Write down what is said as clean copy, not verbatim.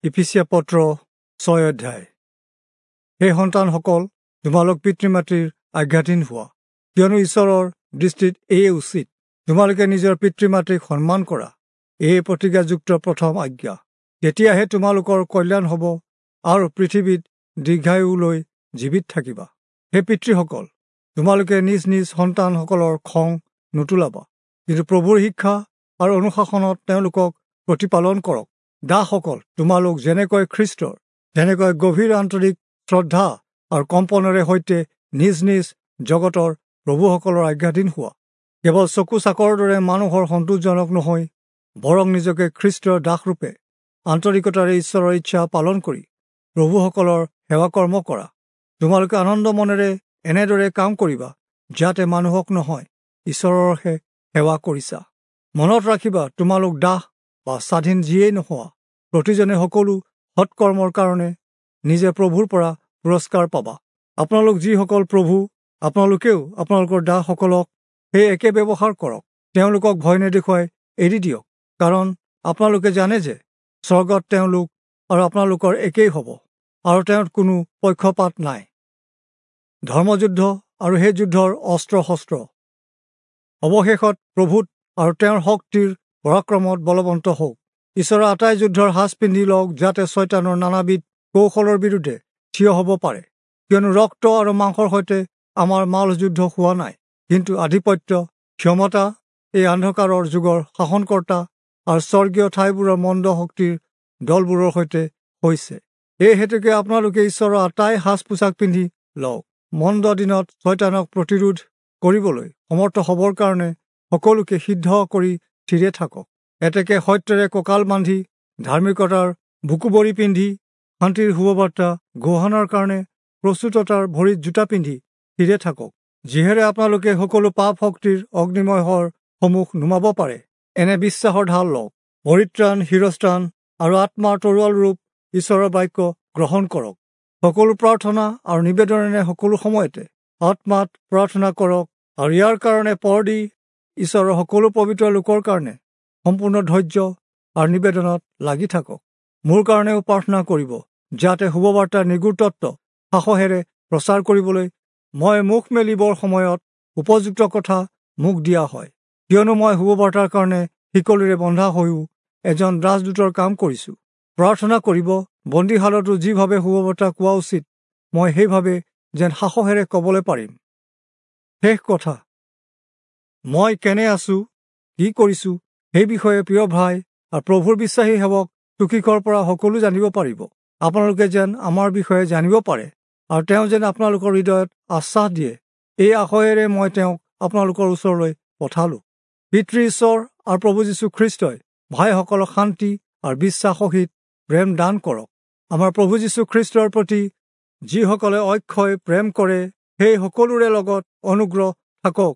ইফিচীয়া পত্ৰ 6 অধ্যায়। হে সন্তানসকল, তোমালোক পিতৃ মাতৃৰ আজ্ঞাধীন হোৱা, কিয়নো ঈশ্বৰৰ দৃষ্টিত এয়ে উচিত। তোমালোকে নিজৰ পিতৃ মাতৃক সন্মান কৰা, এয়ে প্ৰতিজ্ঞাযুক্ত প্ৰথম আজ্ঞা। তেতিয়াহে তোমালোকৰ কল্যাণ হ'ব আৰু পৃথিৱীত দীৰ্ঘায়ুলৈ জীৱিত থাকিবা। হে পিতৃসকল, তোমালোকে নিজ নিজ সন্তানসকলৰ খং নুতুলাবা, কিন্তু প্ৰভুৰ শিক্ষা আৰু অনুশাসনত তেওঁলোকক প্ৰতিপালন কৰক। দাসসকল, তোমালোক যেনেকৈ খ্ৰীষ্টৰ তেনেকৈ গভীৰ আন্তৰিক শ্ৰদ্ধা আৰু কম্পনেৰে সৈতে নিজ নিজ জগতৰ প্ৰভুসকলৰ আজ্ঞাধীন হোৱা। কেৱল চকু চাকৰ দৰে মানুহৰ সন্তোষজনক নহয়, বৰং নিজকে খ্ৰীষ্টৰ দাসৰূপে আন্তৰিকতাৰে ঈশ্বৰৰ ইচ্ছা পালন কৰি প্ৰভুসকলৰ সেৱাকৰ্ম কৰা। তোমালোকে আনন্দ মনেৰে এনেদৰে কাম কৰিবা, যাতে মানুহক নহয় ঈশ্বৰৰহে সেৱা কৰিছা। মনত ৰাখিবা, তোমালোক দাস বা স্বাধীন যিয়েই নোহোৱা, প্ৰতিজনে সকলো সৎকৰ্মৰ কাৰণে নিজে প্ৰভুৰ পৰা পুৰস্কাৰ পাবা। আপোনালোক যিসকল প্ৰভু, আপোনালোকেও আপোনালোকৰ দাসসকলক সেই একে ব্যৱহাৰ কৰক। তেওঁলোকক ভয় নেদেখুৱাই এৰি দিয়ক, কাৰণ আপোনালোকে জানে যে স্বৰ্গত তেওঁলোক আৰু আপোনালোকৰ একেই হ'ব, আৰু তেওঁত কোনো পক্ষপাত নাই। ধৰ্মযুদ্ধ আৰু সেই যুদ্ধৰ অস্ত্ৰ শস্ত্ৰ। অৱশেষত প্ৰভুত আৰু তেওঁৰ শক্তিৰ পৰাক্ৰমত বলৱন্ত হওক। ঈশ্বৰৰ আটাই যুদ্ধৰ সাজ পিন্ধি লওক, যাতে ছয়তানৰ নানাবিধ কৌশলৰ বিৰুদ্ধে থিয় হ'ব পাৰে। কিয়নো ৰক্ত আৰু মাংসৰ সৈতে আমাৰ মাল যুদ্ধ হোৱা নাই, কিন্তু আধিপত্য, ক্ষমতা, এই অন্ধকাৰৰ যুগৰ শাসনকৰ্তা আৰু স্বৰ্গীয় ঠাইবোৰৰ মন্দ শক্তিৰ দলবোৰৰ সৈতে হৈছে। এই হেতুকে আপোনালোকে ঈশ্বৰৰ আটাই সাজ পোছাক পিন্ধি লওক, মন্দ দিনত ছয়তানক প্ৰতিৰোধ কৰিবলৈ সমৰ্থ হ'বৰ কাৰণে সকলোকে সিদ্ধ কৰি থিৰে থাকক। এতেকে সত্যৰে কঁকাল বান্ধি, ধাৰ্মিকতাৰ বুকুবৰি পিন্ধি, শান্তিৰ শুভবাৰ্তা ঘোষণাৰ কাৰণে প্ৰস্তুততাৰ ভৰিত জোতা পিন্ধি থিৰে থাকক, যিহেৰে আপোনালোকে সকলো পাপ শক্তিৰ অগ্নিময় শৰ সমূহ নুমাব পাৰে। এনে বিশ্বাসৰ ঢাল লওক, পৰিত্ৰাণ, শিৰস্ত্ৰাণ আৰু আত্মাৰ তৰোৱাল ৰূপ ঈশ্বৰৰ বাক্য গ্ৰহণ কৰক। সকলো প্ৰাৰ্থনা আৰু নিবেদনেৰে সকলো সময়তে আত্মাত প্ৰাৰ্থনা কৰক, আৰু ইয়াৰ কাৰণে পৰ দি ঈশ্বৰৰ সকলো পবিত্ৰ লোকৰ কাৰণে সম্পূৰ্ণ ধৈৰ্য আৰু নিবেদনত লাগি থাকক। মোৰ কাৰণেও প্ৰাৰ্থনা কৰিব, যাতে শুভবাৰ্তাৰ নিগুৰ তত্ত্ব সাহসেৰে প্ৰচাৰ কৰিবলৈ মই মুখ মেলিবৰ সময়ত উপযুক্ত কথা মোক দিয়া হয়। কিয়নো মই শুভবাৰ্তাৰ কাৰণে শিকলিৰে বন্ধা হৈও এজন ৰাজদূতৰ কাম কৰিছোঁ। প্ৰাৰ্থনা কৰিব, বন্দীশালতো যিভাৱে শুভবাৰ্তা কোৱা উচিত, মই সেইভাৱে যেন সাহসেৰে ক'বলৈ পাৰিম। শেষ কথা, মই কেনে আছোঁ, কি কৰিছোঁ, সেই বিষয়ে প্ৰিয় ভাই আৰু প্ৰভুৰ বিশ্বাসী সেৱক তুকিকৰ পৰা সকলো জানিব পাৰিব। আপোনালোকে যেন আমাৰ বিষয়ে জানিব পাৰে আৰু তেওঁ যেন আপোনালোকৰ হৃদয়ত আশ্বাস দিয়ে, এই আশয়েৰে মই তেওঁক আপোনালোকৰ ওচৰলৈ পঠালোঁ। পিতৃ ঈশ্বৰ আৰু প্ৰভু যীশু খ্ৰীষ্টই ভাইসকলক শান্তি আৰু বিশ্বাস সহিত প্ৰেম দান কৰক। আমাৰ প্ৰভু যীশু খ্ৰীষ্টৰ প্ৰতি যিসকলে অক্ষয় প্ৰেম কৰে, সেই সকলোৰে লগত অনুগ্ৰহ থাকক।